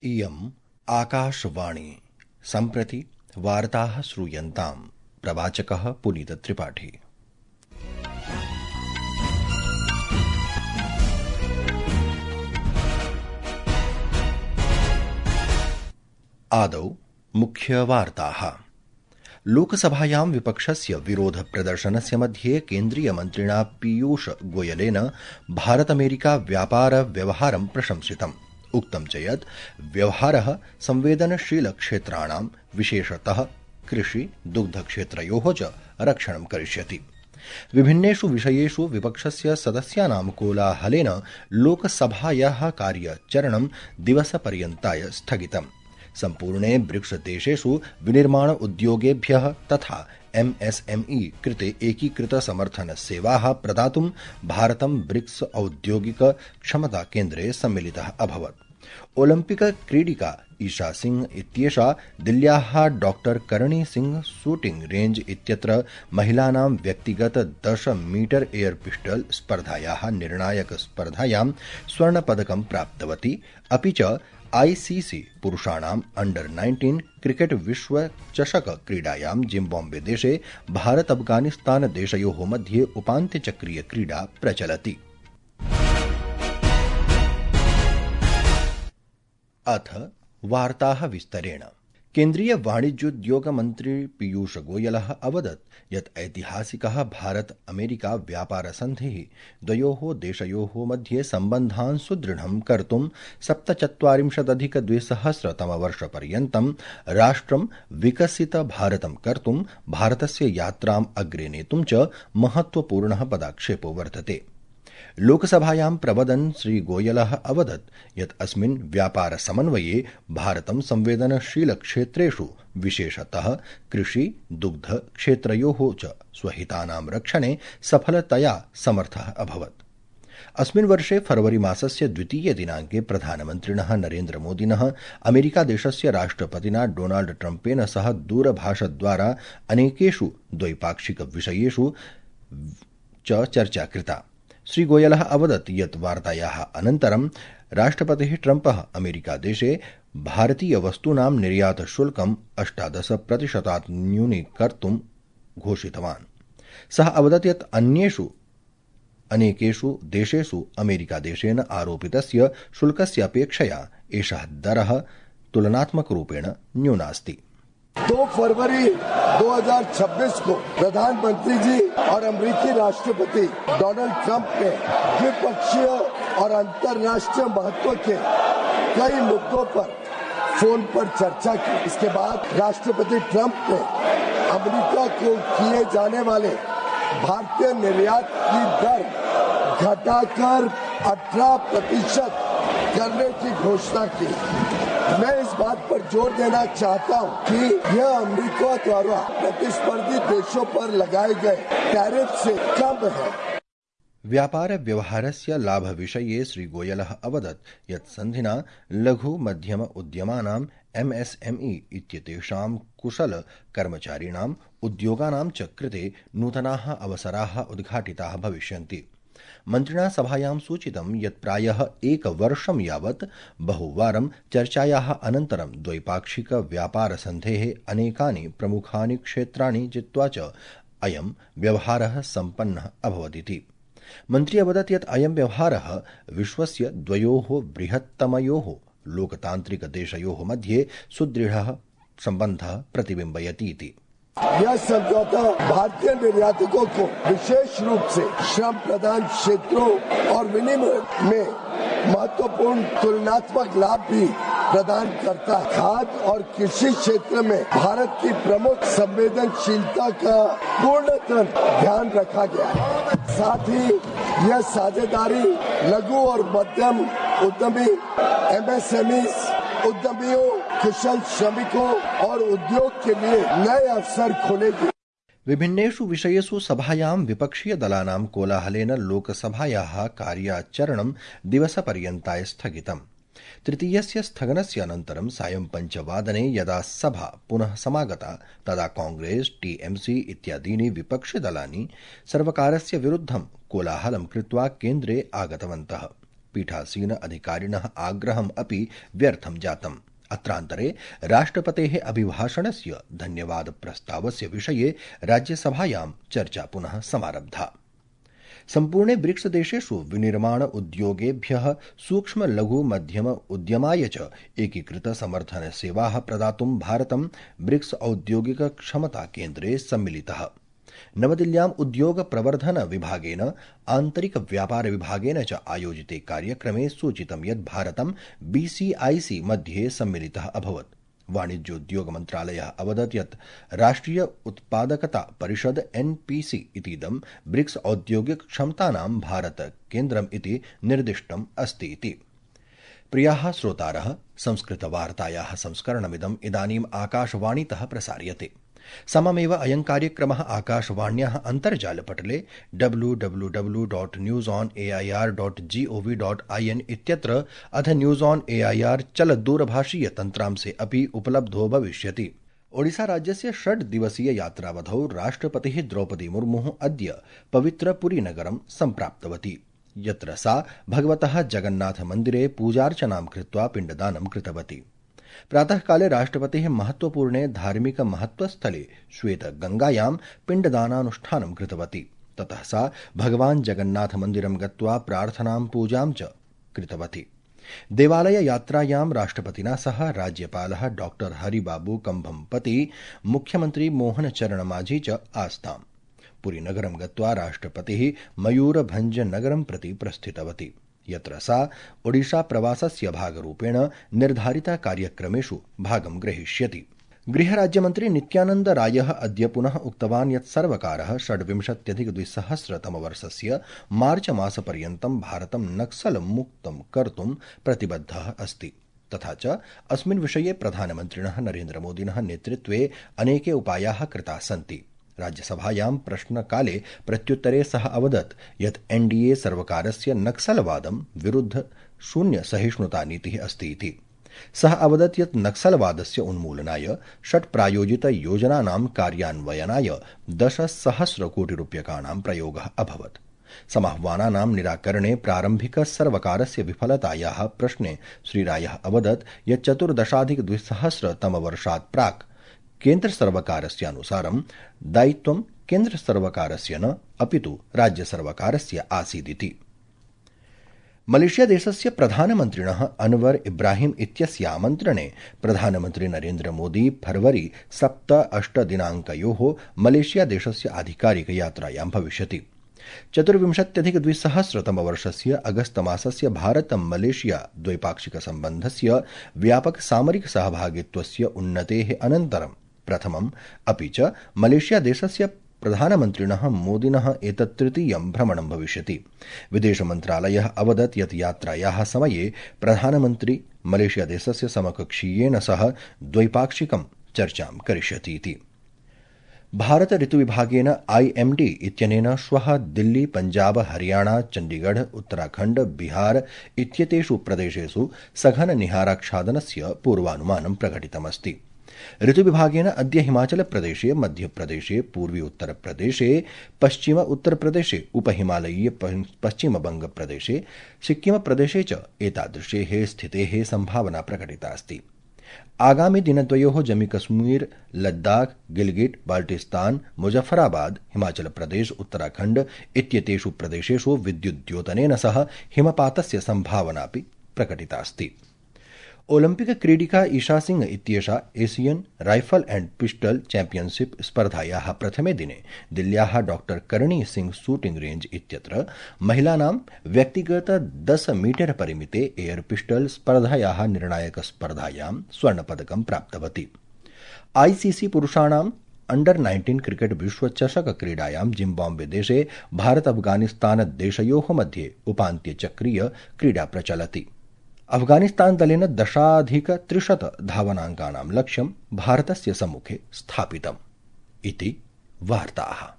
इयम् आकाशवाणी सम्प्रति वार्ताः श्रूयन्ताम्। प्रवाचकः पुनीतत्रिपाठी। आदौ मुख्यवार्ताः। लोकसभायां विपक्षस्य विरोधप्रदर्शनस्य मध्ये केन्द्रीयमन्त्रिणा पीयूष गोयलेन भारत-अमेरिका व्यापार व्यवहारं प्रशंसितम्। उक्तं च यत् व्यवहारः संवेदनशीलक्षेत्राणां विशेषतः कृषि दुग्धक्षेत्रयोः च रक्षणं करिष्यति। विभिन्नेषु विषयेषु विपक्षस्य सदस्यानां कोलाहलेन लोकसभायाः कार्यचरणं दिवसपर्यन्ताय स्थगितम्। सम्पूर्णे ब्रिक्स देशेषु विनिर्माण उद्योगेभ्यः तथा MSME कृते एकीकृत समर्थन सेवाः प्रदातुं भारतं ब्रिक्स औद्योगिक क्षमता केन्द्रे सम्मिलितः अभवत्। ओलम्पिक क्रीडिका ईशा सिंह इत्येषा दिल्ल्याः doctor Karni Singh shooting range इत्यत्र महिलानां व्यक्तिगत 10 मीटर एयर पिस्टल स्पर्धायाः निर्णायक स्पर्धायां स्वर्णपदकं प्राप्तवती। अपि च ICC पुरुषाणाम् अंडर-19 क्रिकेट विश्व चषक क्रीडायां जिम्बाब्वे देशे भारत अफगानिस्तान देशयोः मध्ये उपान्त्यचक्रीय क्रीडा प्रचलति। अथ वार्ताः विस्तरेण। केन्द्रीय वाणिज्योद्योग मन्त्री पीयूष गोयलः अवदत् यत् ऐतिहासिकः भारत-अमेरिका व्यापारसन्धिः द्वयोः देशयोः मध्ये सम्बन्धान् सुदृढं कर्तुं 47-2000 राष्ट्रं विकसितभारतं कर्तुं भारतस्य यात्राम् अग्रे नेतुं च महत्वपूर्णः पदक्षेपो वर्तते। लोकसभायां प्रवदन् श्रीगोयलः अवदत् यत् अस्मिन् व्यापारसमन्वये भारतं संवेदनशीलक्षेत्रेषु विशेषतः कृषि दुग्ध क्षेत्रयोः च स्वहितानां रक्षणे सफलतया समर्थः अभवत्। अस्मिन् वर्षे फरवरी मासस्य 2 दिनाङ्के प्रधानमन्त्रिणः नरेन्द्रमोदिनः अमेरिकादेशस्य राष्ट्रपतिना डोनाल्ड ट्रम्पेन सह दूरभाषद्वारा अनेकेषु द्वैपाक्षिक विषयेषु च चर्चा कृता। श्रीगोयलः अवदत् यत् वार्तायाः अनन्तरं राष्ट्रपतिः ट्रम्पः अमेरिकादेशे भारतीयवस्तूनां निर्यातशुल्कं 18% न्यूनीकर्तुं घोषितवान्। सः अवदत् यत् अनेकेषु देशेषु अमेरिकादेशेन आरोपितस्य शुल्कस्य अपेक्षया एषः दरः तुलनात्मकरूपेण न्यूनास्ति। 2 फरवरी 2026 को प्रधानमंत्री जी और अमेरिकी राष्ट्रपति डोनाल्ड ट्रंप ने द्विपक्षीय और अंतर्राष्ट्रीय महत्व के कई मुद्दों पर फोन पर चर्चा की। इसके बाद राष्ट्रपति ट्रंप ने अमेरिका को किए जाने वाले भारतीय निर्यात की दर घटाकर 18% करने की घोषणा की। मैं इस बात पर जोर देना चाहता हूं कि यह अमेरिका द्वारा प्रतिस्पर्धी देशों पर लगाए गए टैरिफ से कम है। व्यापार व्यवहारस्य लाभविषये श्रीगोयलः अवदत् यत् सन्धिना लघु मध्यम उद्यमानां MSME इत्येतेषां कुशल कर्मचारिणाम् उद्योगानां च कृते नूतनाः अवसराः उद्घाटिताः भविष्यन्ति। मन्त्रिणा सभायां सूचितं यत् प्रायः 1 वर्षं यावत् बहुवारं चर्चायाः अनन्तरं द्वैपाक्षिक व्यापारसन्धेः अनेकानि प्रमुखानि क्षेत्राणि जित्वा च अयं व्यवहारः सम्पन्नः अभवदिति। मन्त्री अवदत् यत् अयं व्यवहारः विश्वस्य द्वयोः बृहत्तमयोः लोकतान्त्रिकदेशयोः मध्ये सुदृढः सम्बन्धः प्रतिबिम्बयतीति। यह समझौता भारतीय निर्यातकों को विशेष रूप से श्रम प्रधान क्षेत्रों और विनिमय में महत्वपूर्ण तुलनात्मक लाभ भी प्रदान करता है। खाद्य और कृषि क्षेत्र में भारत की प्रमुख संवेदनशीलता का पूर्णतः ध्यान रखा गया है। साथ ही यह साझेदारी लघु और मध्यम उद्यमी MSME उद्यमियों, कुशल श्रमिकों और उद्योग के लिए नए अवसर खोलेगी। विभिन्नेषु विषयेषु सभायां विपक्षीय दलानां कोलाहलेन लोकसभायाः कार्याचरणं दिवसपर्यन्ताय स्थगितम्। तृतीयस्य स्थगनस्य अनन्तरं सायं 5 वादने यदा सभा पुनः समागता तदा कांग्रेस, TMC इत्यादीनि विपक्षिदलानि सर्वकारस्य विरुद्धं कोलाहलं कृत्वा केन्द्रे आगतवन्तः। पीठासीन अधिकारिणः आग्रहम् अपि व्यर्थं जातम्। अत्रान्तरे राष्ट्रपतेः अभिभाषणस्य धन्यवाद प्रस्तावस्य विषये राज्यसभायां चर्चा पुनः समारब्धा। सम्पूर्णे ब्रिक्स देशेषु विनिर्माण उद्योगेभ्यः सूक्ष्म लघु मध्यम उद्यमाय च एकीकृत समर्थन सेवाः प्रदातुं भारतं ब्रिक्स औद्योगिक क्षमता केन्द्रे सम्मिलितः। नवदिल्ल्याम् उद्योग प्रवर्धन विभागेन आन्तरिक व्यापार विभागेन च आयोजिते कार्यक्रमे सूचितं यत् भारतं BCIC मध्ये सम्मिलितः अभवत्। वाणिज्योद्योग मन्त्रालयः अवदत् यत् राष्ट्रिय उत्पादकता परिषद NPC इतीदं ब्रिक्स औद्योगिक क्षमतानां भारत केन्द्रम् इति निर्दिष्टम् अस्ति इति। प्रियाः श्रोतारः, संस्कृतवार्तायाः संस्करणमिदम् इदानीम् आकाशवाणीतः प्रसार्यते। सममेव अयं कार्यक्रमः आकाशवाण्याः अन्तर्जालपटले www.newsonair.gov.in इत्यत्र अथ न्यूज ऑन एआईआर चलदूरभाषीय तन्त्रांशे अपि उपलब्धो भविष्यति। ओडिशा राज्यस्य 6 दिवसीय यात्रावधौ राष्ट्रपतिः द्रौपदी मुर्मुः अद्य पवित्रपुरीनगरं सम्प्राप्तवती, यत्र सा भगवतः जगन्नाथमन्दिरे पूजार्चनां कृत्वा पिण्डदानं कृतवती। प्रातःकाले राष्ट्रपतिः महत्वपूर्णे धार्मिक महत्वस्थले श्वेतगंगायां पिण्डदानानुष्ठानं कृतवती। ततः सा भगवान् जगन्नाथमन्दिरं गत्वा प्रार्थनां पूजां च कृतवती। देवालय यात्रायां राष्ट्रपतिना सह राज्यपालः डॉक्टर हरिबाबू कंभमपति, मुख्यमंत्री मोहन चरण माझी च आस्ताम्। पुरीनगरं गत्वा राष्ट्रपतिः मयूरभंज नगरं प्रति प्रस्थितवती, यत्र सा ओडिशा प्रवासस्य भागरूपेण निर्धारित कार्यक्रमेषु भागं ग्रहीष्यति। गृहराज्यमन्त्री नित्यानन्द रायः अद्य पुनः उक्तवान् यत् सर्वकारः 26-2000 मार्च मासपर्यन्तं भारतं नक्सल मुक्तं कर्तुं प्रतिबद्धः अस्ति। तथा च अस्मिन् विषये प्रधानमन्त्रिणः नरेन्द्रमोदिनः नेतृत्वे अनेके उपायाः कृताः सन्ति। राज्यसभायां प्रश्नकाले प्रत्युत्तरे सः अवदत् यत् NDA सर्वकारस्य नक्सलवादं विरुद्ध शून्य सहिष्णुता नीतिः अस्ति इति। सः अवदत् यत् नक्सलवादस्य उन्मूलनाय 6 प्रायोजित योजनानां कार्यान्वयनाय 10,000 कोटिरूप्यकाणां प्रयोगः अभवत्। समाह्वानानां निराकरणे प्रारम्भिक सर्वकारस्य विफलतायाः प्रश्ने श्रीरायः अवदत् यत् 14-2000 प्राक् केन्द्रसर्वकारस्यानुसारं दायित्वं केन्द्रसर्वकारस्य न अपितु राज्यसर्वकारस्य आसीदिति। मलेशिया देशस्य प्रधानमन्त्रिणः अनवर इब्राहिम इत्यस्य आमन्त्रणे प्रधानमन्त्री नरेन्द्र मोदी फरवरी 7-8 दिनाङ्कयोः मलेशिया देशस्य आधिकारिक यात्रायां भविष्यति। 24-2000 अगस्त मासस्य भारत मलेशिया द्वैपाक्षिक सम्बन्धस्य व्यापक सामरिक सहभागित्वस्य उन्नतेः अनन्तरं प्रथमम् अपि च मलेशिया देशस्य प्रधानमन्त्रिणः मोदिनः एतत् तृतीयं भ्रमणं भविष्यति। विदेशमन्त्रालयः अवदत् यत् यात्रायाः समये प्रधानमन्त्री मलेशिया देशस्य समकक्षीयेन सह द्वैपाक्षिकं चर्चां करिष्यति इति। भारत ऋतुविभागेन IMD इत्यनेन श्वः दिल्ली, पंजाब, हरियाणा, चण्डीगढ़, उत्तराखण्ड, बिहार इत्येतेषु प्रदेशेषु सघन निहाराच्छादनस्य पूर्वानुमानं प्रकटितमस्ति। ऋतुविभागेन अद्य हिमाचलप्रदेशे, मध्यप्रदेशे, पूर्वी उत्तरप्रदेशे, पश्चिम उत्तरप्रदेशे, उपहिमालयीय पश्चिमबंगप्रदेशे, सिक्किमप्रदेशे च एतादृशेः स्थितेः संभावना प्रकटिता अस्ति। आगामि दिनद्वयोः जम्मूकश्मीर, लद्दाख, गिलगिट, बाल्टिस्तान, मुजफ्फराबाद, हिमाचल प्रदेश, उत्तराखण्ड इत्येतेषु प्रदेशेषु विद्युद्योतनेन सह हिमपातस्य संभावनापि प्रकटिता अस्ति। ओलम्पिक क्रीडिका ईशा सिंह इत्येषा Asian rifle and pistol championship स्पर्धायाः प्रथमे दिने दिल्ल्याः doctor Karni Singh shooting range इत्यत्र महिलानां व्यक्तिगत 10 मीटर परिमिते एयर पिस्टल स्पर्धायाः निर्णायक स्पर्धायां स्वर्णपदकं प्राप्तवती। ICC पुरुषाणां अंडर-19 क्रिकेट विश्वचषक क्रीडायां जिम्बाब्वे देशे भारत अफगानिस्तान देशयोः मध्ये उपान्त्यचक्रीय क्रीडा प्रचलति। अफगानिस्तान दलेन 10,300 धावनाङ्कानां लक्ष्यं भारतस्य सम्मुखे स्थापितम् इति वार्ताः।